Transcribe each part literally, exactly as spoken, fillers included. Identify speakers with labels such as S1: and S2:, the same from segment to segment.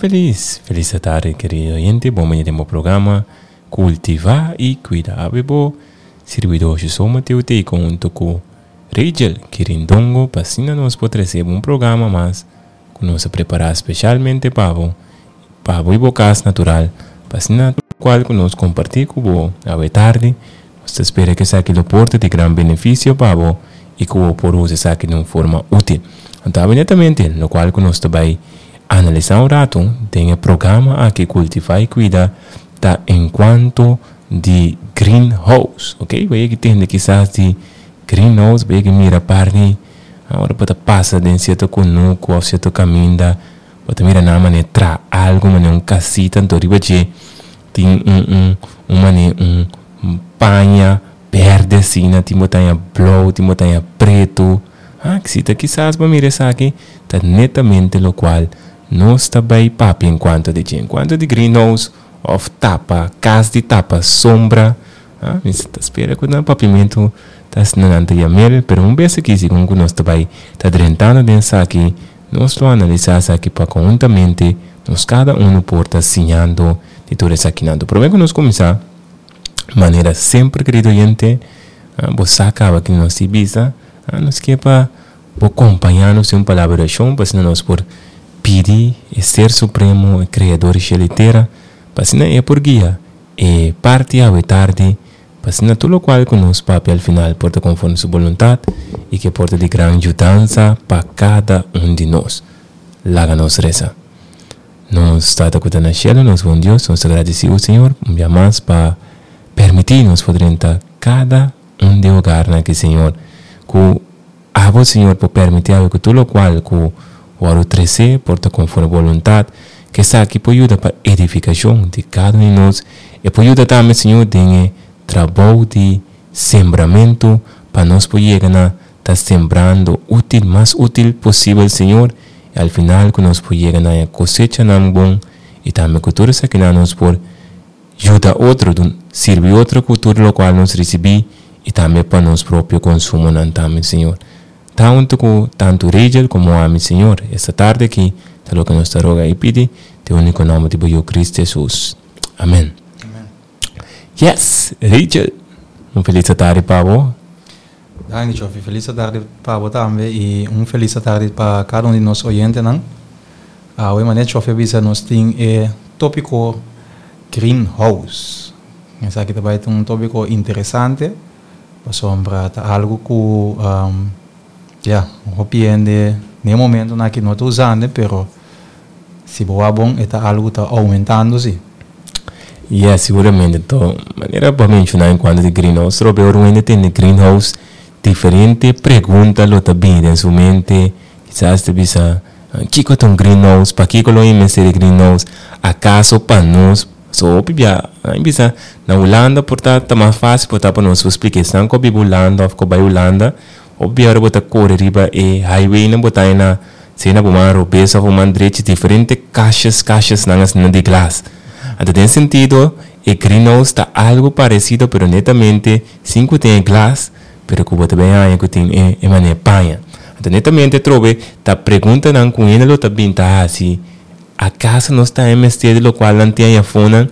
S1: Felis. Felis tardi, kerido oyente. Bon bini den programa Kultivá i Kuida. Awe bo sirbidó José Mateo Teico huntu ku Rachel Kirindongo pa asina nos por trese un programa mas ku nos a prepará spesialmente pa bo, pa bo i bo kas natural, pa asina kual ku nos kompartí ku bo awe tardi, nos ta spera ku esaki lo por ta di gran benefisio pa bo i ku bo por usa esaki di un forma útil. Anto awe netamente lokual ku nos ta bai analisá un ratu den e programa aki Kultivá i Kuida ta enkuanto di greenhouse. Ok, bo yega tende kisas di greenhouse, bo yega mira par di ora bo ta pasa den sierto kunuku òf sierto kaminda, bo ta mira nan manera traha algu manera un kasita, anto riba dje tin un un un manera un paña berde asina, tin botaña blou, tin botaña pretu. Ah, si ta kisas bo mira esaki ta netamente lokual nos ta bai papia enkuanto di dje. Enkuanto di greenhouse òf tapa, kas di tapa sombra. Ah, mi ta spera ku nan papiamentu ta asina nan ta yam'el, pero un bes aki segun ku nos ta bai ta drentando den esaki, nos lo analisá esaki pa konhuntamente nos kada unu por ta siñando di tur esakinan. Promé ku nos kuminsá, manera semper, kerido oyente, bo sa kaba ki nos tin bisa, nos ke pa bo kompañá nos den un palabra di orashon pa asina nos por pidi e Ser Supremo, e Kreador di shelu i tera, pa asina e por guia e parti awe tardi, pa asina tur lokual ku nos papia al final por ta konforme su boluntat i ke por ta di gran yudansa pa kada un di nos. Laga nos resa. Nos Tata ku ta na shelu, nos bon Dios, nos ta gradisí bo, Señor, un bia mas pa permití nos por drenta kada un di hogarnan aki, Señor. Ku abo, Señor, por permití awe ku tur lokual ku wòrdu tresé por ta konforme bo boluntat, ku esaki por yuda pa edifikashon di kada un di nos. E por yuda tambe, Señor, den e trabou di sembramentu pa nos por yega na ta sembrando útil, mas útil posibel, Señor, i al final ku nos por yega na e kosechanan bon i tambe ku tur esakinan nos por yuda otro, sirbi otro ku tur lokual nos risibí i tambe pa nos propio konsumonan tambe, Señor. Ta huntu ku tantu Rachel komo ami, Señor, esta tardi aki ta loke nos ta roga i pidi den úniko nòmber di bo Yu Kristu Hesus. Amen. Yes, Rachel, un felis tardi pa bo.
S2: Danki, Chofi. Felis tardi pa bo tambe i un felis tardi pa kada un di nos oyentenan. Awe, manera Chofi a bisa, nos tin e tópiko greenhouse. Esaki tambe ta un tópiko interesante, pasobra ta algu ku um, ja, hopi hende na momentonan aki no ta usando, pero si bo bon, ta algu ta oumentando, sí.
S1: Yeah, siguramente. Anto, manera bo a menshoná enkuanto di greenhouse, Robert, ora un hende greenhouse, diferente pregunta lo ta bini den su mente. Kisas ta bisa, kiko ta un greenhouse? Pakiko lo mester greenhouse? Akaso pa nos? So, hopi bia, bisa, na Hulanda por ta ta mas fásil por ta pa nos splika. Esnan ku biba Hulanda òf ku bai Hulanda, hopi ora bo ta kore riba e highway nan bo ta na sea na bo man robes òf bo man drechi, diferente kashas, kashas nan asina di glas. Anto, den sentido, e greenhouse ta algu paresido, pero netamente sin ku tin glas, pero ku bo ta bin haña ku tin e, e manera paña. Anto, netamente trobe ta preguntanan ku hende lo ta bin ta hasi, akaso nos ta mester di lokual nan tin ayafonan,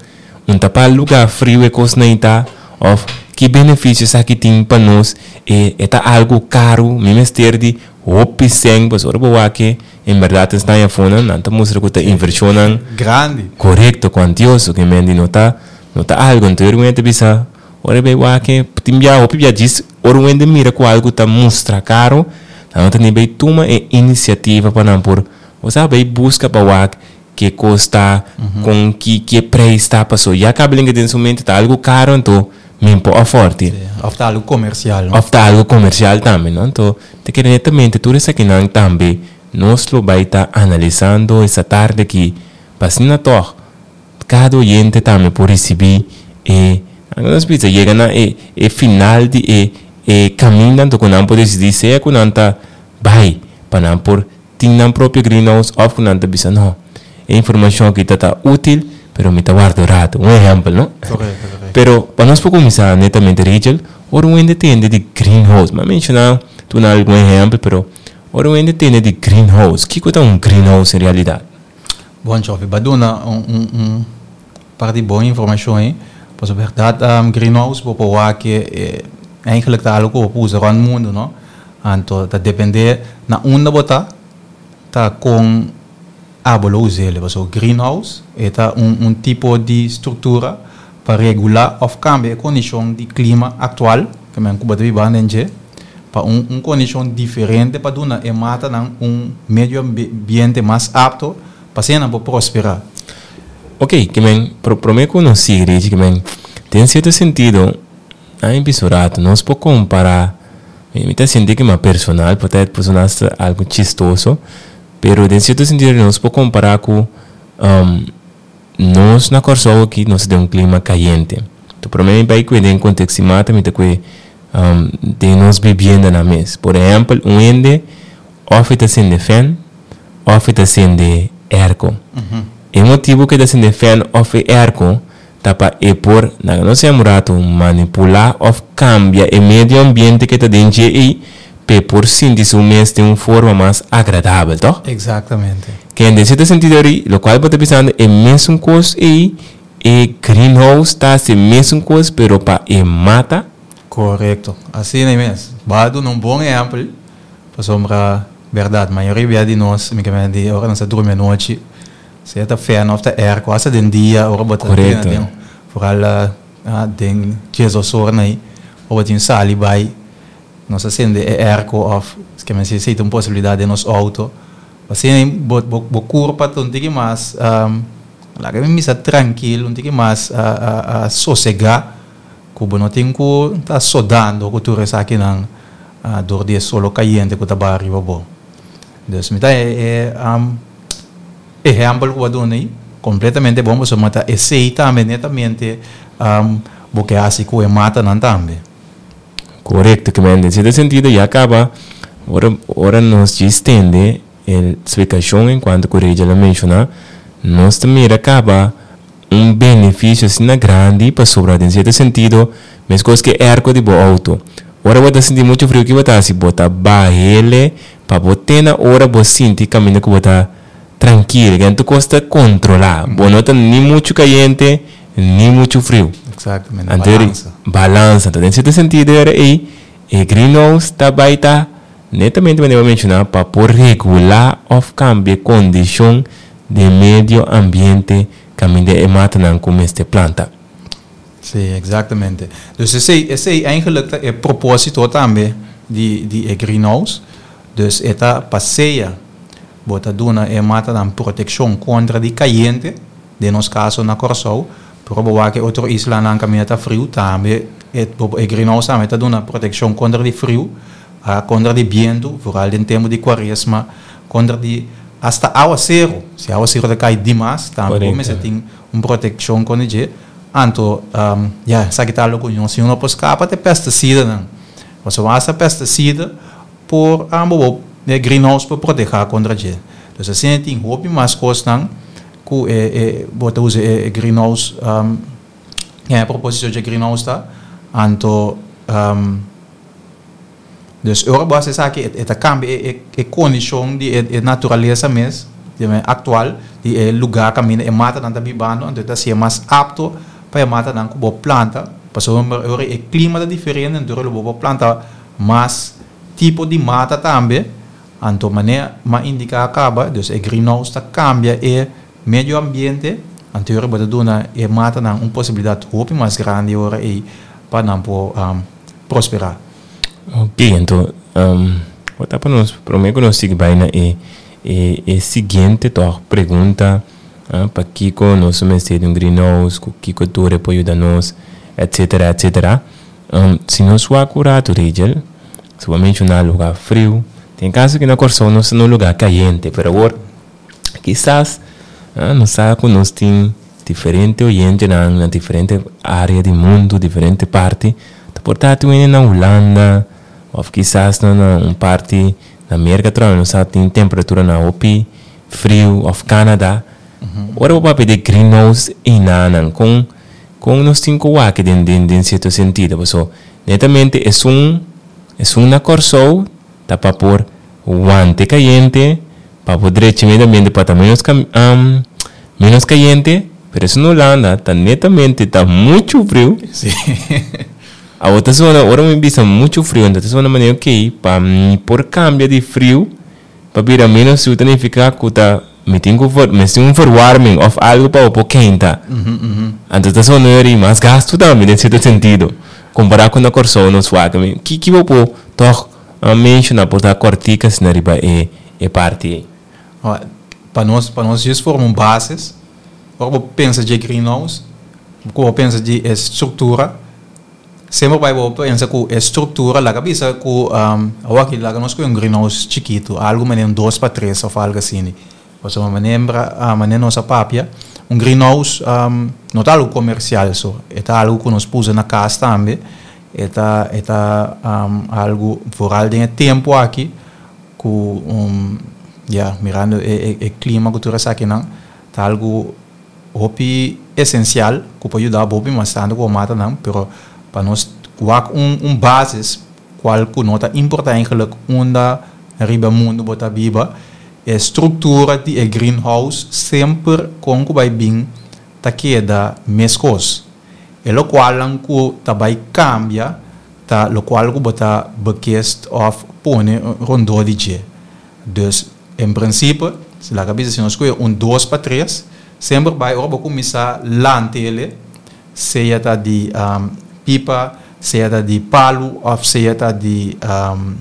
S1: un ta pa lugá friu e kosnan ta, òf ki benefisio esaki tin pa nos, e, e ta algu karu, mi mester di hopi sèn, pues ora bo wak e, en berdat esnan ayafonan, nan ta mustra ku ta invershonnan
S2: grandi.
S1: Korekto, kuantioso, ke men di no ta, no ta algu. Anto, ora bo bisa, ora bai wak e, tin bia, hopi bia djis, ora hende mira ku algu ta mustra karu, nan no ta ni bai tuma e inisiativa pa nan por, osea, bai buska pa wak ke kos ta, kon ki ki preis ta, paso ya kaba den su mente ta algu karu, anto mi n' por afford.
S2: Sí, òf ta algu komersial, no?
S1: Òf ta algu komersial tambe, no? Anto, te kere netamente tur esakinan tambe nos lo bai ta analisando esta tardi aki, pa asina toch kada oyente tambe por risibí e nos bisa yega na e e final di e e kaminda, anto ku nan por disidí sea ku nan ta bai pa nan por tin nan propio greenhouse òf ku nan ta bisa no, e informashon aki ta ta útil, pero mi ta warda ratu. Un ehèmpel, no?
S2: Korekto, korekto.
S1: Pero pa nos por kuminsá netamente, Rachel, ora un hende tende di greenhouse, m'a menshoná duna algun ehèmpel, pero ora un hende tende di greenhouse, kiko ta un greenhouse en realidat?
S2: Bon, Chofi, b'a duna un, un, un par di bon informashon ei. Pues berdat, um, greenhouse, bo por wak eh, eigenlijk ta algo ku usa rònt mundu, no? Anto, ta dependé na unda bo ta, ta kon abo lo us'é. So, greenhouse ta un, un tipo di struktura pa regulá òf kambia e kondishon di klima aktual, ku men ku bo ta biba aden, pa un, un kondishon diferente pa duna e matanan un medio ambiente mas apto pa asina nan prosperá.
S1: Ok, ke men, pro, promé ku nos sigui, ke men, den sierto sentido, a pisorato, nos por kompará, mi ta sinti ku mas personal, por ta algu chistoso, pero den sierto sentido nos por kompará ku um, nos na Kòrsou aki, nos tin un klima kayente. Anto, promé bai ku den konteksto mata, mi ta ku um, den nos bibiendanan mes. Por ehèmpel, un hende òf ta sende fan, òf ta sende airco.
S2: Uhum.
S1: E motibu ku ta sende fan òf airco ta pa e por, na nos rato, manipulá òf kambia e medio ambiente ku ta den ei, pa por sinti su mes di un forma mas agradabel, toch?
S2: Eksaktamente.
S1: Ku den sierto sentido, loke bo ta pensando e mesun kos ei, e greenhouse ta e mesun kos, pero pa e mata.
S2: Korekto. Asina mes. B'a duna un bon ehèmpel, pasobra berdat, mayoria di nos, mi ke men di, ora nos ta drumi anochi, sea ta fan òf ta airco, asta den dia, ora bo ta
S1: Korekto.
S2: Den, vooral uh, den diesdos or ei, ora tin sali bai, nos a sende e airco òf, ke men si tin un posibilidat den nos outo. Asina, bo bo bo kurpa ta un tiki mas um, laga mi bisa trankil, un tiki mas uh, uh, uh, sosegá, ku bo no tin ku ta sodando ku tur esakinan uh, dor di solo kayente ku ta riba bo. Dus mi ta e, e um, ehèmpel ku b'a duna ei, kompletamente bon, bo ta esei tambe netamente um, bo ke hasi ku e matanan tambe.
S1: Korekto, ke men, den sierto sentido, ya kaba, ora, ora nos ekstendé e splikashon enkuanto ku Rachel a menshoná, nos tambe a kaba un benefisio asina grandi pasobra, den sierto sentido, meskos ku airco di bo outo. Ora bo ta sinti muchu friu, ku bo ta hasi? Bo ta bah'é pa bo te na ora bo sinti kaminda ku bo ta trankil, ku tur kos ta kontrolá. Bo no ta ni muchu kayente, ni muchu friu.
S2: Eksaktamente.
S1: Anto,
S2: Balansa.
S1: Balansa. Anto, den sierto sentido, era ei, e greenhouse ta bai ta netamente manera menshoná pa por regulá òf kambia kondishon di medio ambiente kaminda e matanan ku mester planta.
S2: Sí, eksaktamente. Dus esei, esei eigenlijk e propósito tambe di, di e greenhouse. Dus e ta pa sea, bo ta duna e matanan protekshon kontra di kayente, den nos kaso na Kòrsou, pero bo ku otro islanan kaminda ta friu tambe, e, e greenhouse tambe ta duna protekshon kontra di friu, uh, kontra di bientu, vooral den tempu di kuaresma, kontra di asta awaseru. Si awaseru ta kai demas, tambe
S1: Korekto.
S2: tin un protekshon kontra dje. Anto, um, ja, sabe ku ta algu si no por skapa te pestisidanan. Bo hasta pestisida por ambo e greenhouse pa protehá kontra dje. Dus asina tin hopi mas kosnan ku e e bo ta usa e greenhouse, um, e propósito di greenhouse ta. Anto, um, dus ora bo sa ku e ta kambia e, e kondishon di e, e naturalesa mes, di aktual, di e lugá kaminda e matanan ta bibando, anto ta ser mas apto pa e matanan ku bo planta, pasobra ora e klima ta diferente, anto bo por planta mas tipo di mata tambe. Anto manera m'a indiká kaba, dus e greenhouse ta kambia e medio ambiente, anto ora bo ta duna e matanan un posibilidat hopi mas grandi ora ei pa nan por um, prosperá.
S1: Ok, anto, um, bota pa nos, promé ku nos sigui bai na e, e, e siguiente toch pregunta, uh, pa kiko nos mester di un greenhouse, ku kiko tur por yuda nos, et cetera et cetera. Um, si nos wak un ratu, Rachel, si bo menshoná lugá friu, tin kaso ku na Kòrsou nos ta na lugá kayente, pero awor, kisas, uh, nos sa ku nos tin diferente oyentenan, na diferente área di mundu, diferente parti, ta por ta tin na Hulanda, òf kisas na, na un parti na Amérika, tambe, nos sa tin temperatura na hopi friu, òf Canada. Ora bo papia di greenhouse einan, kon kon nos tin ku wak den den den sierto sentido, so netamente e un e un na Kòrsou ta pa por wanta kayente, pa por drecha medio ambiente pa tambe nos um, Menos kayente, pero esei na Hulanda ta netamente ta muchu friu.
S2: Si.
S1: A otro zona, ora mi bisa muchu friu, anto ta manera ok, pa mi por kambia di friu, pa bira menos friu, signifiká ku ta mi tin ku ver, mi tin un verwarming òf algu pa por kenta.
S2: Uhum, uhum.
S1: Anto ta zona eri mas gastu tambe, den sierto sentido. Kompará ku na Kòrsou nos wak, ki ki bo por toch uh, menshoná por ta kòrtiku asina riba e e parti.
S2: Pa nos, pa nos just forma un basis, ora bo pensa di greenhouse, ku pensa di struktura, semper bai bo pensa ku struktura, laga bisa ku um, aki laga nos ku un greenhouse chikitu, algu manera un dos pa tres òf algu asina. Òf manera, a manera nos a papia, un greenhouse um, no ta algu komersial so, e ta algu ku nos por usa na kas tambe, e ta e ta um, algu vooral den tempu aki ku um, ja, mirando e, e, e klima ku tur akinan, ta algu hopi esensial ku por yuda hopi mas tantu ku matanan, pero pa nos wak un un basis kual ku no ta importá eigenlijk unda riba mundu bo ta biba, e struktura di e greenhouse semper kon ku bai bin ta keda meskos. E lokual ku ta bai kambia ta lokual ku bo ta bekist òf pone rondó di dje. Dus in principe, si laga bisa si nos kohe un dos pa tres, semper bai ora bo kuminsá lanta ele, sea ta di um, pipa, sea ta di palu òf sea ta di um,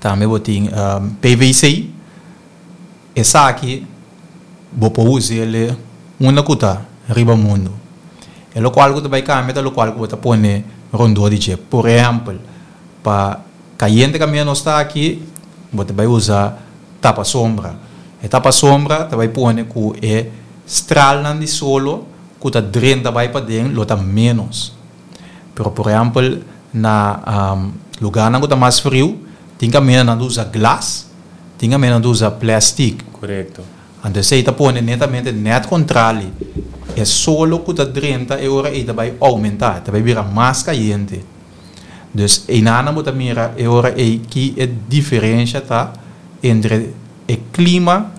S2: tambe bo tin um, P V C, esaki bo por us'é unda ku ta riba mundu. E lokual ku bai kambia ta lokual ku bo pone rondó di dje. Por ehèmpel, pa kayente kaminda nos ta aki, bo bai usa tapa sombra. E tapa sombra ta bai pone ku e stralnan di solo ku ta drenta bai paden lo ta menos. Pero por ehèmpel, na um, lugá ku ta mas friu, tin kaminda nan usa glas, tin kaminda nan usa plastic.
S1: Korekto.
S2: Anto, esei ta pone netamente net kontrali. E solo ku ta drenta e ora ei ta bai oumentá, ta bai bira mas kayente. Dus einan bo ta mira e ora ei ki e diferensia ta entre e klima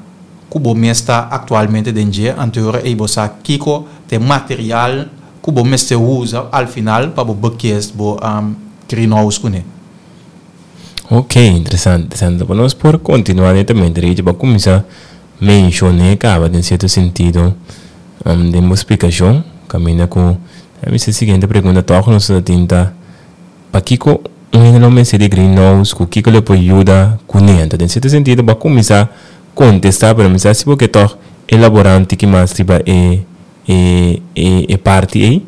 S2: ku bo mes ta aktualmente den dje, anto ora ei bo sa kiko ta material ku bo mester usa al final pa bo bekist bo um, greenhouse kuné.
S1: Ok, interesante, interesante. Bueno, nos por kontinuá netamente, Rich, pa kuminsá menshoná kaba den sierto sentido um, di un splikashon, kaminda ku e siguiente pregunta toch nos tin ta pakiko un no mester di greenhouse, ku kiko e por yuda kuné. Den sierto sentido, pa kuminsá kontestá, pero mi sa si bo ke toch elaborá un tiki mas riba e e e e parti ei.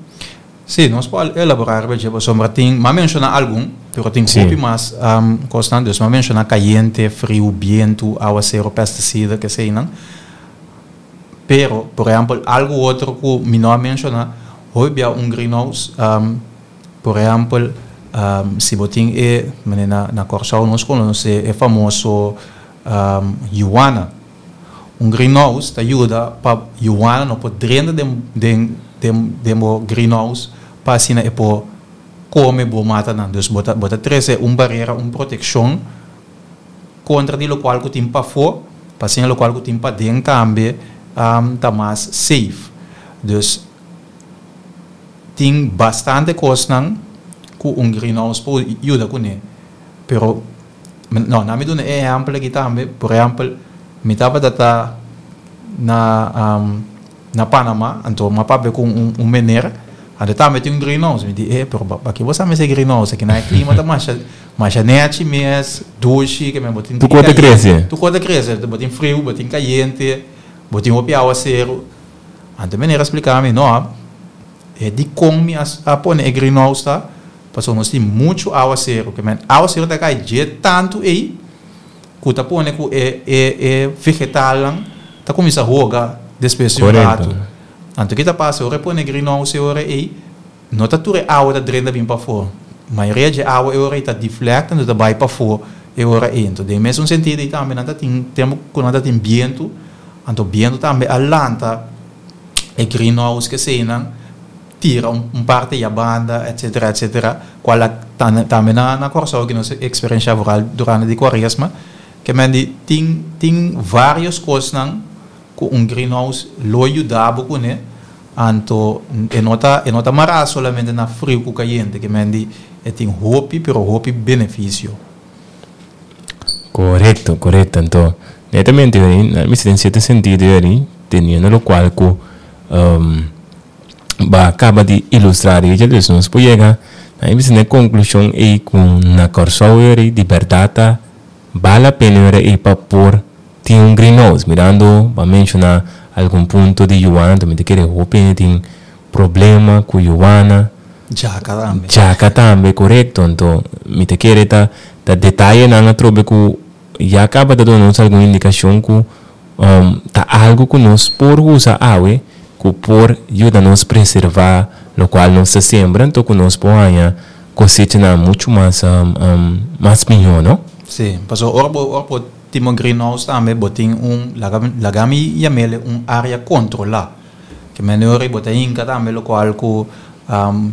S2: Si, nos por elaborá riba pasobra tin, m'a menshoná algun, pero tin
S1: Si.
S2: hopi mas um, kosnan, dus m'a menshoná kayente, friu, bientu, awaseru, pestisida, ke sei nan. Pero, por ehèmpel, algu otro ku mi no a menshoná, hopi un greenhouse, um, por ehèmpel, um, si bo tin e, na na Kòrsou nos konosé e famoso um, yuana. Un greenhouse ta yuda pa yuana no por drenta den den den den bo greenhouse pa asina e por kome bo matanan. Dus bo ta bo ta trese un barera, un protekshon kontra di lokual ku tin pafó, pa asina lokual ku tin paden tambe um, ta mas safe. Dus tin bastante kosnan ku un greenhouse por yuda kuné. Pero no, laga mi duna un ehèmpel aki tambe. Por ehèmpel, mi tabata na um, na Panamá, anto m'a papia ku un, un meneer, anto tambe tin un greenhouse, mi di, eh, pero aki bo mester greenhouse, aki na klima ta mas mas nèchi mes, dushi, ke men bo tin
S1: Tur kos ta krese.
S2: Tur kos ta krese, bo tin friu, bo tin kayente, bo tin hopi awaseru. Anto meneer a splika mi, no, e di kon mi a, a pone e greenhouse ta, paso nos tin muchu awaseru, ke men awaseru ta kai dje tantu ei, ku ta pone ku e e e vegetalnan ta kuminsá hoga despues di un
S1: Korekto.
S2: ratu. Anto kiko ta pasa, ora pone greenhouse ora ei, no ta tur awa ta drenta bin pafó. Mayoria di awa e ora ei ta deflect, anto ta bai pafó e ora ei. Anto, den mesun sentido ei tambe nan ta tin tempu ku nan ta tin bientu, anto bientu tambe a lanta e greenhouse ke sei tira un, un parti di banda, et cetera, et cetera. Kual tambe na na Kòrsou ku nos eksperensiá vooral durante di Kuaresma, ke men di tin tin vários kosnan. Ku un greenhouse lo yuda bo kuné, anto e no ta e no ta mará solamente na friu ku kayente, ke men di e tin hopi pero hopi benefisio.
S1: Korekto, korekto. Anto, netamente, mi den sierto sentido ei, teniendo lo kual ku um, b'a kaba di ilustrá ei, dus nos por yega na e konklushon ei ku na Kòrsou di bèrdat bale la pena ei pa por tin un greenhouse. Mirando, b'a menshoná algun punto di yuana, tambe ta kere hopi tin problema ku yuana.
S2: Djaka tambe.
S1: Djaka tambe, korekto. Anto, mi ta kere ta ta detayenan atrobe ku ya kaba di duna nos algun indikashon ku um, ta algu ku nos por usa awe ku por yuda nos preservá lokual nos ta sembra, anto ku nos por haña kosechanan muchu mas um, um, mas mihó, no?
S2: Sí, paso ora bo ora bo tin un greenhouse tambe bo tin un laga laga mi yam'é un área kontrolá. Ke men ora bo ta hinka tambe lokual ku um,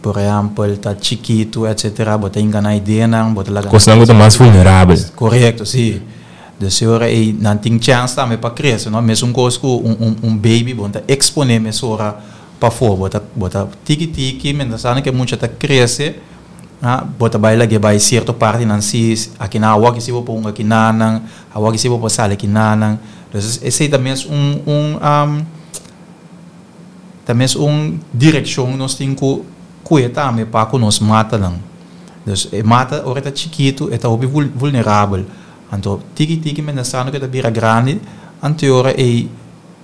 S2: por ehèmpel, ta chikitu, et cetera, bo ta hinka na ideanan, bo ta laga
S1: Kosnan ku ta mas vulnerabel.
S2: Korekto, sí. Dus ora ei nan tin chance tambe pa krese, no? Mesun kos ku un, un, un baby, bo ta eksponé mesora pafó, bo ta bo ta tiki tiki, mientras tantu ku mucha ta krese, ah, bo ta bai lag'é bai sierto partinan si, aki na awor aki si bo por aki nan, awor aki si bo por sali aki nan. Dus esei tambe un un um, tambe un direkshon nos tin ku kuida tambe pa ku nos matanan. Dus e mata ora ta chikitu, e ta hopi vulnerabel. Anto tiki tiki mientras tantu ku e ta bira grandi, anto ora e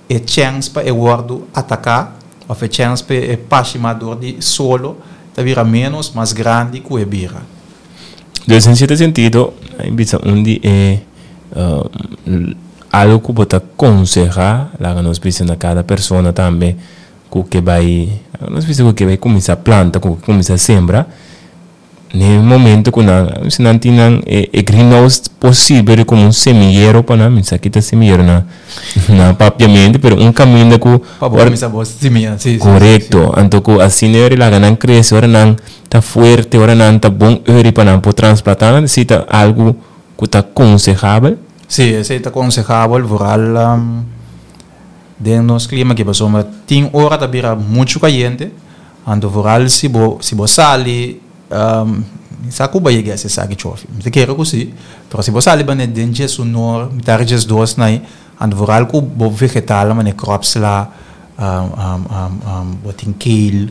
S2: e chance pa e wòrdu ataká, òf e chance pa e pashima dor di solo, ta bira menos mas grandi ku e bira.
S1: Dus den sierto sentido, bisa un di e uh, algu ku bo ta konsehá, laga nos bisa na kada persona tambe ku ke bai, nos bisa ku ke bai kuminsá planta, ku kuminsá sembra, na momento ku nan, si nan tin e, e greenhouse posibel komo un semillero pa nan, mi sa kita semillero na na papiamentu, pero un kaminda ku
S2: Pa bo kuminsá bo simia, sí, sí.
S1: Korekto. Anto ku asina ora laga nan krese, ora nan ta fuerte, ora nan ta bon ori pa nan por trasplantá, nan si ta algu ku ta konsehabel.
S2: Sí, esei ta konsehabel, vooral um, den nos klima ku pasobra tin ora ta bira muchu kayente, anto vooral si bo si bo sali um, sa ku bai yega sa ki chofi. Mi ta kere ku sí, pero si bo sali bane den diesun or, mitar diesdos nai, anto vooral ku bo vegetal mane crops la um, um, um, um, bo tin kale,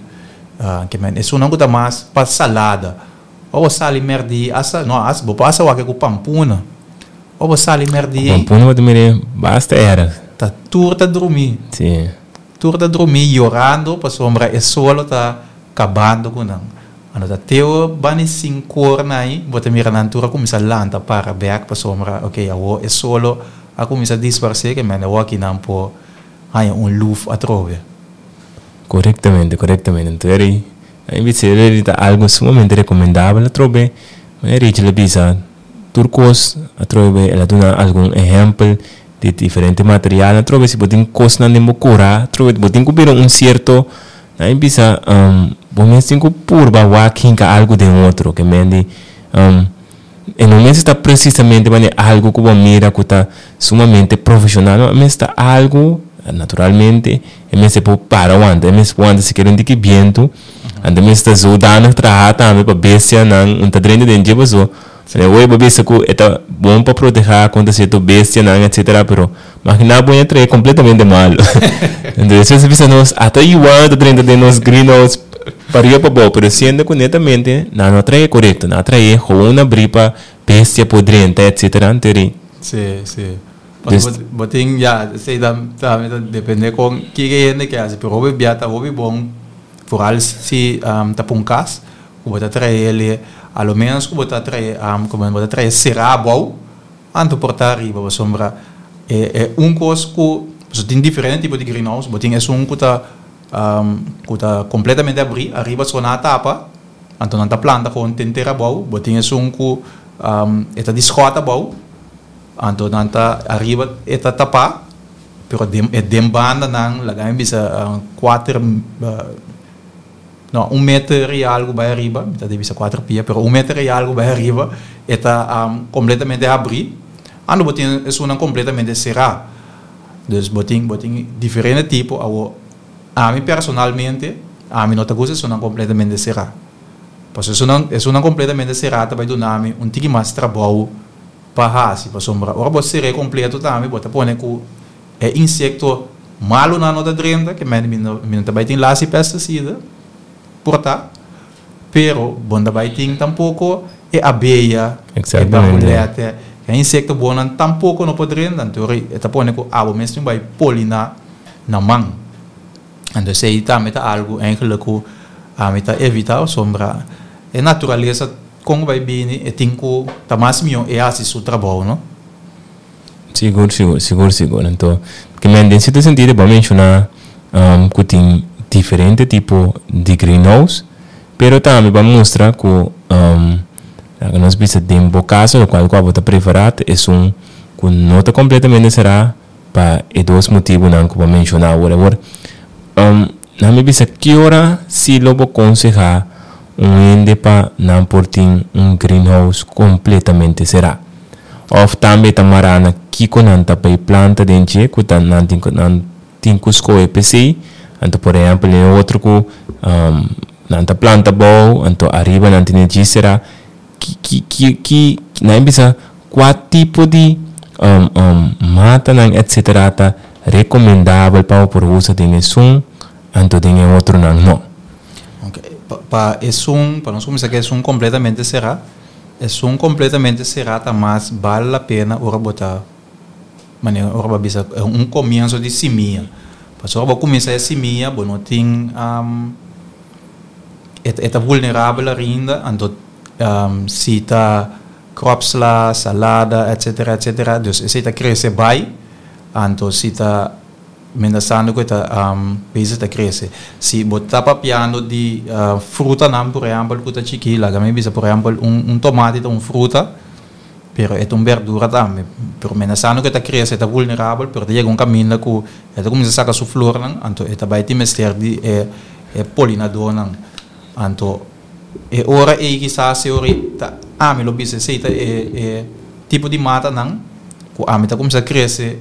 S2: uh, ke men esunnan ku ta mas pa salada. O bo sali merdi, asa, no, as, bo pasa wak ku pampuna. O bo sali merdi,
S1: Pampuna bo mire basta era.
S2: Ta tur ta drumi.
S1: Sí.
S2: Tur ta drumi yorando pasobra e solo ta kabando ku nan. Anto ta teo bani sinku or nai, bo ta mira nan tur a kuminsá lanta para bèk pasobra, ok, awo e solo a kuminsá disparsé, ke men awo aki nan por haña un luf atrobe.
S1: Korektamente, korektamente. Anto eri, ei bisa eri ta algu sumamente rekomendabel atrobe. Ma eri a bisa tur kos atrobe, el a duna algun ehèmpel di diferente material atrobe, si bo tin kosnan den bo kurá atrobe bo tin ku bira un sierto ei bisa um, bo mes tin ku purba wak hinka algu den otro ke men di um, e no mes ta presisamente mane algu ku bo mira ku ta sumamente profeshonal, no mes ta algu naturalmente e mes por para wanta, e mes por wanta sikiera un tiki bientu, anto mes ta zodanig traha tambe pa bestia nan un ta drenta den dje paso. Oi, bo bisa ku e ta bon pa protehá kontra sierto bestianan, et cetera. Pero imaginá bo traha kompletamente malu. Entonses, bisa nos ata yuana ta drenta den nos greenhouse pariba pabou, pero siendo ku netamente nan no traha korekto, nan a traha gewoon abrí pa bestia por drenta, et cetera. Anto
S2: Sí, sí. Dus, bo tin ja, sei da ta depende kon ki hende ke hasi, pero hopi bia ta hopi bon, vooral si um, ta pa un kas, ku bo ta traha a lo menos ku bo ta traha um, komo bo ta traha será bou, anto por ta ariba, pasobra e, e un kos ku so tin diferente tipo di greenhouse, bo tin esun ku ta um, ku ta kompletamente abrí, ariba so nan a tapa, anto nan ta planta ku den tera bou, bo tin esun ku um, e ta di skòt bou, anto nan ta ariba e ta tapá, pero den, e den banda nan, laga mi bisa uh, kuater uh, no, un meter i algu bai ariba, ta debe ser kuater pia, pero un meter i algu bai ariba, e ta um, kompletamente abrí. Anto bo tin esunnan kompletamente será. Dus bo tin, bo tin diferente tipo. Awo, ami personalmente, ami no ta gusta esunnan kompletamente será. Pasobra esunnan, esunnan kompletamente será ta bai duna mi un tiki mas trabou pa hasi, pasobra ora bo ser'é kompleto tambe bo ta pone ku e insekto malunan no ta drenta, ke men mi no mi no ta bai tin lasi pestisida por ta, pero bo no ta bai tin tampoko e abeya, e barbulètè, e insekto bonnan tampoko no por drenta, anto e ta pone ku abo mes tin bai poliná na man. Anto esei tambe ta algu eigenlijk ku ami ta evitá pasobra e naturalesa kon bai bini e tin ku ta mas mihó e hasi su trabou, no?
S1: Sigur, sigur, sigur, sigur. Anto, ke men den sierto sentido bo a menshoná ku tin diferente tipo di greenhouse, pero tambe bo a mustra ku laga nos bisa den bo kaso lokual ku abo ta preferá ta esun ku no ta kompletamente será pa e dos motibunan ku bo a menshoná awor. Awor, nan mi bisa ki ora si lo bo konsehá un hende pa nan por tin un greenhouse kompletamente será? Òf tambe ta mará na kiko nan ta bai planta den dje ku ta nan tin ku nan tin ku skohe p'esei? Anto por ehèmpel e otro ku nan ta planta abou anto ariba nan tene dje será. Ki ki ki ki nan bisa kua tipo di matanan etcetera ta recomendabel pa bo por usa den esun anto den e otronan no?
S2: Ok, pa pa esun, pa nos kuminsá ku esun kompletamente será, esun kompletamente será ta mas bal la pena ora bo ta manera ora bo a bisa un komienso di simia. Pasobra ora bo kuminsá e simia bo no tin e e ta vulnerabel ainda anto si ta kropsla, salada etcetera etcetera dus esei ta krese bai anto si ta menasando ku e ta bezig ta krese. Si bo ta papiando di frutanan por ehèmpel ku ta chikí laga mi bisa por ehèmpel un un tomati ta un fruta pero e ta un berdura tambe pero menasando ku e ta krese e ta vulnerabel pero ta yega un kaminda ku e ta kuminsá saka su flornan anto e ta bai tin mester di e e polinadornan anto e ora ei kisas e ora ei ta ami lo bisa esei ta e e tipo di matanan ku ami ta kuminsá krese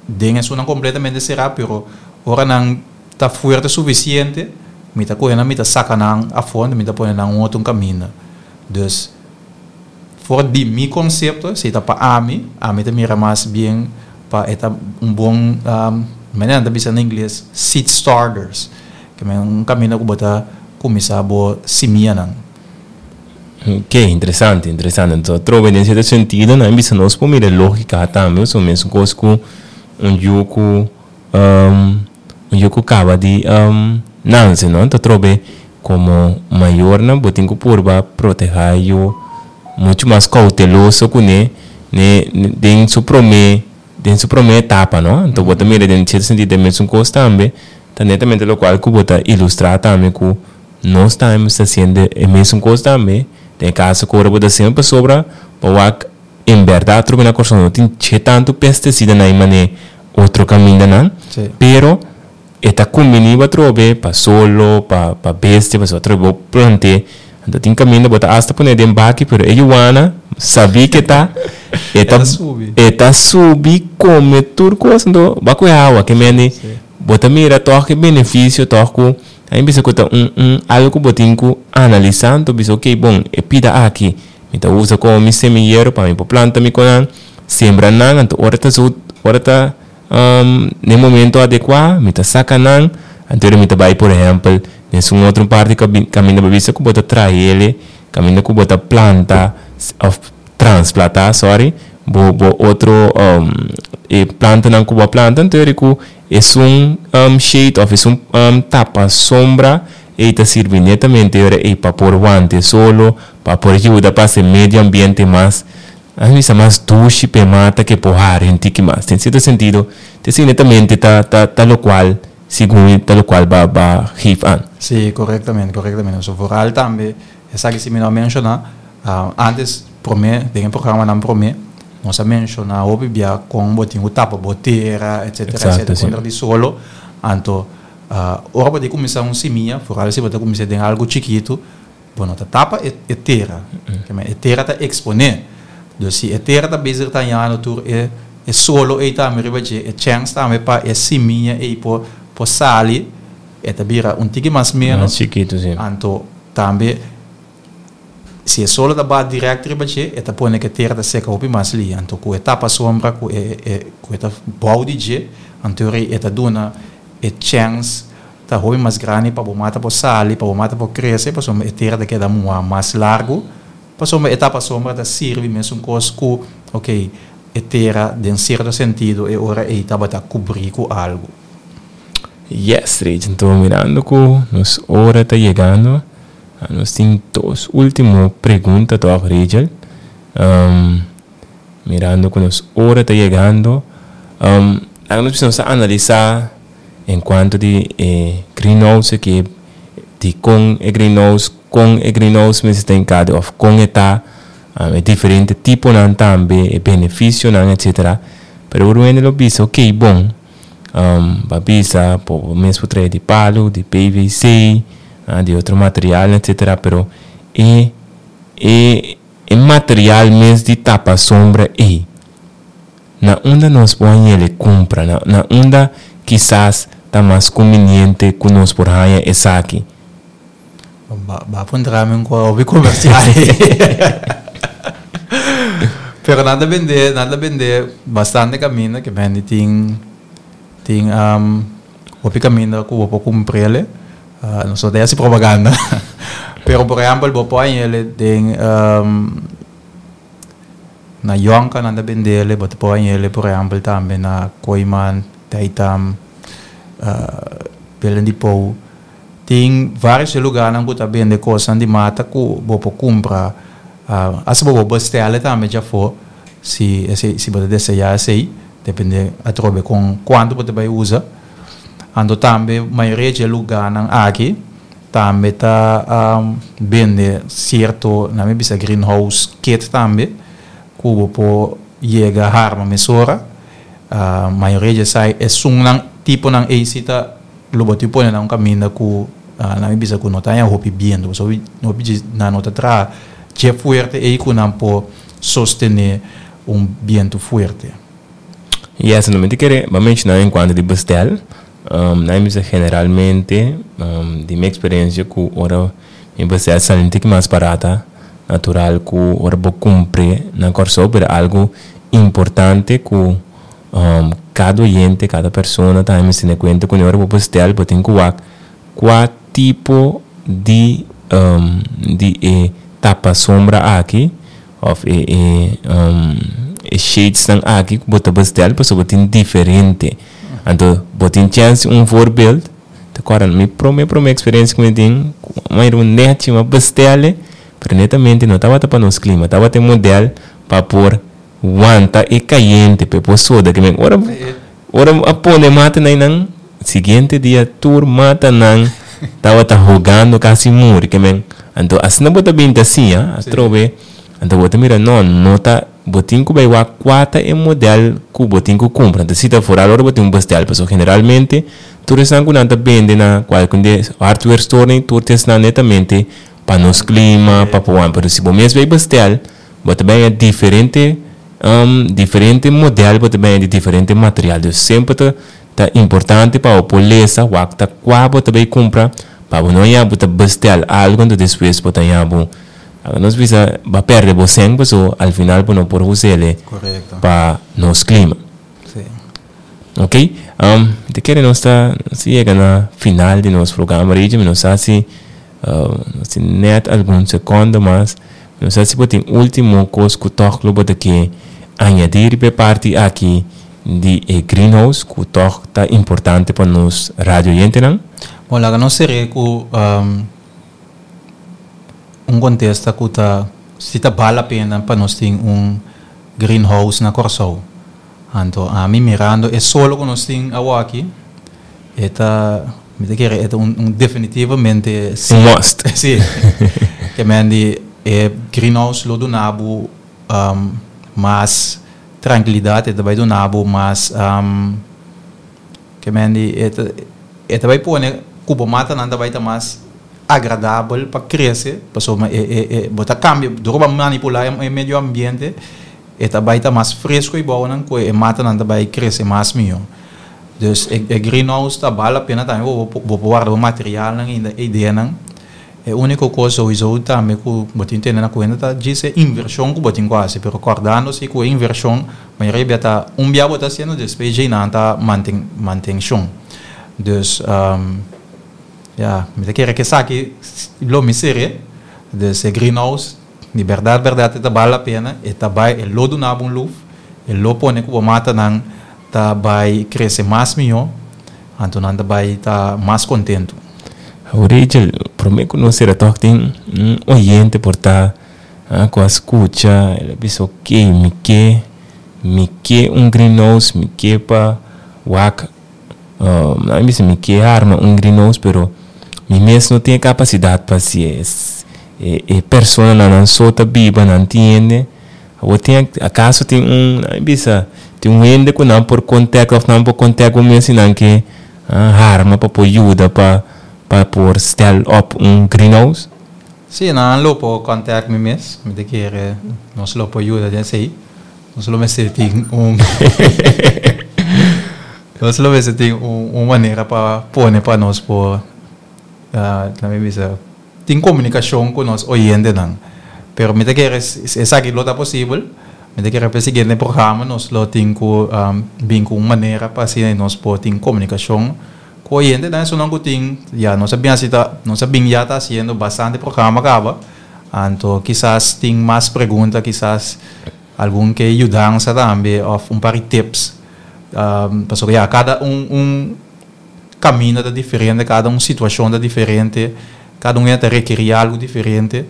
S2: den esunnan kompletamente será pero ora nan ta fuerte sufisiente mi ta kohe nan mi ta saka nan afó mi ta pone nan un otro kaminda dus for di mi konsepto esei ta pa ami ami ta mira mas bien pa e ta un bon manera nan ta bisa na ingles seed starters ke men un kaminda ku bo ta kuminsá bo simianan.
S1: Ok, interesante, interesante. Entonces, atrobe den cierto sentido nan bisa nos por mira e logica tambe, pasobra mesun cos cu un yu cu un yu cu caba di nance, no? Entonces, atrobe como mayornan bo tin cu purba proteha e yu mucho mas cauteloso cune ne den su prome den su prome etapa, no? Entonces, bo ta mira den cierto sentido e mesun cos tambe ta netamente locual cu bo ta ilustra tambe cu nos tambe mester haciendo e mesun cos tambe, den e caso cu ora bo ta haciendo pasobra bo wak en berdad trobe na Corsou no tin che tanto pesticida na e mane otro camindanan, pero e ta cumbini bo atrobe pa solo, pa pa bestia, pasobra atrobe bo plante, anto tin caminda bo ta hasta pone den baki pero e yuana sabi ke ta e ta e ta subi come tur cos anto bo a coge awa ke mende bo ta mira toch e beneficio toch cu A mi bisa ku ta un un algu ku bo tin ku analisá, anto bisa okey bon e pida aki mi ta usa komo mi semillero pa mi por planta mi konan, sembra nan, anto ora ta su ora ta den momento adekuá mi ta saka nan, anto ora mi ta bai por ehèmpel den esun otro parti kaminda bo bisa ku bo ta traele, kaminda ku bo ta planta òf transplatá sorry bo bo otro e plantanan ku bo a planta, anto ora ku Esun shade of esun tapa sombra ei ta sirbi netamente ora ei pa por wante solo, pa por yuda pa haci medio ambiente mas, a bisa mas dushi p'e mata ke por hari un tiki mas. Den cierto sentido ta esei netamente ta ta ta locual segun ta locual ba ba geef aan.
S2: Sí, correctamente, correctamente. So vooral tambe esaki si mi no a menciona, antes prome den e programanan prome, Nos a menshoná hopi bia kon bo tin ku tapa bo tera, etsetera, etsetera, kontra di solo. Anto, ora bo ta kuminsá un simia, foral si bo ta kuminsá den algu chikitu, bo no ta tapa e tera. E tera ta eksponé. Dus si e tera ta bezig ta hañando tur e E solo ei tambe riba dje, e chance tambe pa e simia ei por por sali, e ta bira un tiki mas menos.
S1: Mas chikitu, si.
S2: Anto tambe si e solo ta bat direct riba dje, e ta pone ku e tera ta seka hopi mas lihé. Anto ku e tapa sombra ku e e ku e ta bou di dje, anto rei e ta duna e chance ta hopi mas grandi pa bo mata por sali, pa bo mata por krese, pasobra e tera ta keda muhá mas largu, pasobra e tapa sombra ta sirbi mesun kos ku, ok, e tera den sierto sentido e ora ei tabata kubrí ku algu.
S1: Yes, Rich, anto mirando ku nos ora ta yegando, nos tin dos último pregunta tòg, Rachel. Um, mirando ku nos ora ta yegando, um, laga nos bisa nos a analisá en cuanto di e greenhouse ku di kon e greenhouse, kon e greenhouse mester ta hinkado òf kon e ta, um, e diferente tiponan tambe, e benefisionan, etcétera. Pero ora hende lo bisa, ok, bon, um, bo a bisa, bo mes por traha di palu, di P V C, uh, di otro material, etcétera. Pero e, e, e material mes di tapa sombra ei, na unda nos por kumpra, na, na unda kisas ta mas konveniente ku nos por haña esaki?
S2: Ba, ba puntra mi un hobby komersial. Pero nan ta bende, nan ta bende bastante kaminda, ke bende tin tin um, hopi kaminda ku bo por kumpr'é. Uh, no so ta propaganda. Pero por ehèmpel, bo por hañ'é den um, na Yonka nan ta bende, bo por hañ'é por ehèmpel tambe na Kooyman, Taitam, uh, Belen di Pou. Tin vários lugá ku ta bende kos di mata ku bo por kumpra. Uh, asina bo por bestèl tambe ya for, si si si bo deseá esei, dependé atrobe kon kuantu bo bai usa. Anto tambe mayoria di lugánan aki tambe ta um, bende sierto, na mi bisa, greenhouse kit tambe ku bo por yega harma mesora. Uh, mayoria di esei esunnan tiponan ei si ta lo bo tin pone na un kaminda ku uh, na mi bisa ku no ta hopi bientu, so hopi na no ta tra dje fuerte ei ku nan por sostené un bientu fuerte.
S1: Yes, no mi ke bai menshoná en kuantu di bestel. Um, na mi generalmente, um, di mi eksperensia ku ora mi bestel sali un tiki mas barata, natural ku ora bo kumpra na Kòrsou, pero algu importante ku um, kada oyente, kada persona tambe tene kuenta ku ora bo bestel, bo tin ku wak kua tipo di um, di e tapa sombra aki òf e, e, um, e shades nan aki bo ta bestel, pasobra bo tin diferente. Anto, bo tin chance, un voorbeeld, te kòrda mi promé promé eksperensia ku mi tin, ma era un net m'a bestel, pero netamente no tabata pa nos klima, tabata un modelo pa por wanta e kayente, pa por soda, ke men ora ora a pone mata nan nan siguiente dia tur mata nan tabata hogando, kasi muri, ke men anto asina bo ta binta asina, atrobe. Anto bo ta mira, no no ta bo tin ku bai wak kua ta e modelo ku bo tin ku kumpra. Anto si ta foral ora bo tin un bestel, pasobra generalmente tur esnan ku nan ta bende na kualke de hardware store ni tur esnan netamente pa nos klima, pa por, pero si bo mes bai bestel, bo ta bai diferente um, diferente modelo, bo ta bai di diferente material. Dus semper ta ta importante pa bo lesa wak ta kua bo ta bai kumpra, pa bo no ya bo ta bestel algu anto despues bo ta ya bo nos bisa b'a pèrdè bo sèn, so al final bo no por us'é
S2: Korekto.
S1: pa nos klima.
S2: Si.
S1: Ok? Um, te kere nos ta si yega na final di nos programa, Rigi, no sa si uh, nos tin net algun sekonde mas. No sa si bo tin último kos ku toch lo bo ta ke añadí e parti aki di e greenhouse ku toch ta importante pa nos radio oyentenan.
S2: Bon, laga nos sera ku um, un kontesta ku ta si ta bale la pena pa nos tin un greenhouse na Kòrsou. Anto, ami mirando e solo ku nos tin aki, e ta, mi ta kere, e ta un, un definitivamente
S1: Un must.
S2: Si. Ke men di e greenhouse lo duna bo um, mas trankilidat, e ta bai duna bo mas um, ke men di e ta e ta bai pone ku bo matanan ta bai ta mas agradabel pa krese, pasobra e e e bo ta kambia, dor manipulá e medio ambiente. E ta bai ta mas fresku i bon nan ku e matanan ta bai krese mas mihó. Dus e, e greenhouse ta bale la pena tambe bo bo por warda bo materialnan ainda ideanan. E úniko kos sowieso tambe ku bo tin tene na kuenta ta djis e invershon ku bo tin ku hasi, pero kòrdando si ku e invershon mayoria bia ta un bia bo ta hasiendo despues djei nan ta manten mantenshon. Dus um, ya, mi ta kere ku esaki lo mi ser'é. Dus e greenhouse di bèrdat bèrdat e ta bale la pena, e ta bai e lo duna bo un luf, e lo pone ku bo matanan ta bai krese mas mihó, anto nan ta bai ta mas kontentu.
S1: Rachel, promé ku nos sera tòg tin un oyente por ta ku a skucha, el a bisa ok, mi ke mi ke un greenhouse, mi ke pa wak, nan a bisa mi ke arma un greenhouse pero mi mes no tin e kapasidat pa hasié. E e personanan nan so ta biba, nan tin hende. Awor tin akaso tin un, nan a bisa tin un hende ku nan por kontak òf nan por kontak bo mes si nan ke harma pa por yuda pa pa por stel op un greenhouse?
S2: Sí, nan lo por kontak mi mes. Mi ta kere nos lo por yuda den esei. Nos lo mester tin un nos lo mester tin un un manera pa pone pa nos por laat mi bisa tin komunikashon ku nos oyentenan. Pero mi ta kere esaki lo ta posibel. Mi ta kere pa e siguiente programa nos lo tin ku bin ku un manera pa asina nos por tin komunikashon ku oyentenan. Esunnan ku tin ya nos a bin hasi ta nos a bin ya ta hasiendo bastante programa kaba. Anto kisas tin mas pregunta, kisas algun ke yudansa tambe òf un par di tips. Pasobra ya kada un un kaminda ta diferente, kada un situashon ta diferente, kada un hende ta rekerí algu diferente.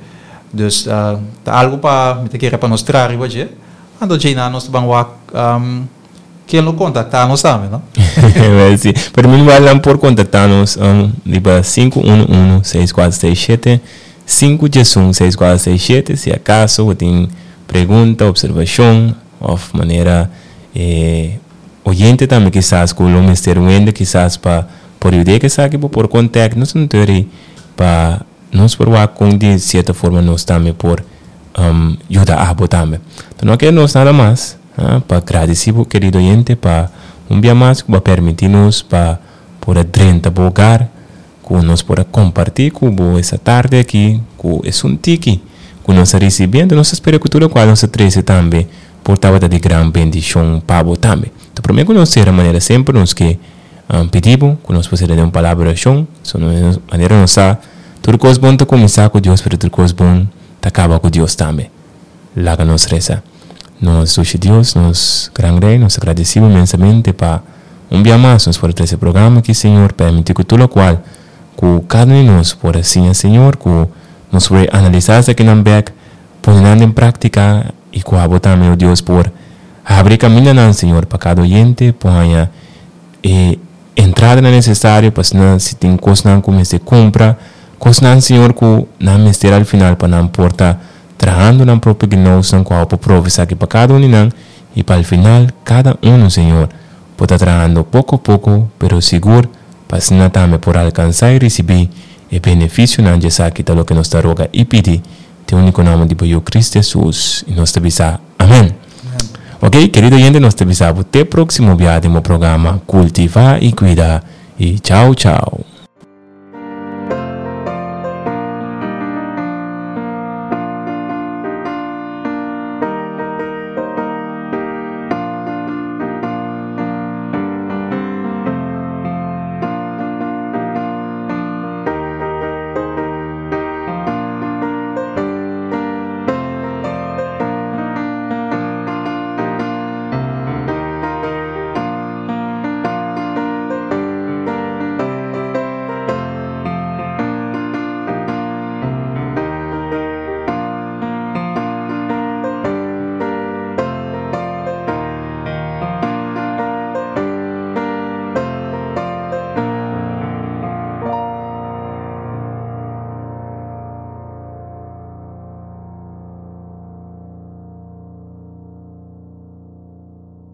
S2: Dus ta algu pa mi ta kere pa nos traha riba dje. Anto djeinan nos ta ban wak ken lo kontaktá nos tambe, no?
S1: Wel si. Pero meanwhile nan por kontaktá nos riba sinku unu unu seis kuater seis shete, sinku diesun seis kuater seis shete si akaso bo tin pregunta, observashon òf manera e oyente tambe kisas ku lo mester wende kisas pa por yud'é ku esaki bo por kontèkt nos anto eri pa nos por wak kon di sierto forma nos tambe por yuda abo tambe. Ta no kere nos nada mas pa gradisí bo kerido oyente pa un bia mas ku bo a permití nos pa por a drenta bo hogar ku nos por a kompartí ku bo esta tarde aki ku esun tiki ku nos a risibí. Anto nos ta spera ku tur lokual nos a trese tambe por tabata di gran bendishon pa bo tambe. Ta promé ku nos sera manera semper nos ke pidi bo ku nos por sera den un palabra di orashon. So manera nos sa tur kos bon ta kuminsá ku Dios pero tur kos bon ta kaba ku Dios tambe. Laga nos resa. Nos dushi Dios, nos gran Rey, nos ta gradesi bo inmensamente pa un bia mas nos por a trese e programa aki, Señor. Permiti ku tur lokual ku kada un di nos por a siña, Señor, ku nos por analisá esakinan bek, pone nan den práktika i ku abo tambe, o Dios, por habri kamindanan, Señor, pa kada oyente por haña e entradanan nesesario pa asina si tin kosnan ku mester kumpra, kosnan, Señor, ku nan mester al final pa nan por ta trahando nan propio gnousnan ku abo por prove esaki pa kada un di nan i pa al final kada unu, Señor, por ta trahando poko poko pero sigur pa asina tambe por alkansá i risibí e benefisionan dje esaki ta loke nos ta roga i pidi den úniko nòmber di bo Yu Cristo Hesus i nos ta bisa amèn. Ok, kerido oyente nos ta bisa bo te próksimo bia den bo programa Kultivá i Kuida i chao chao.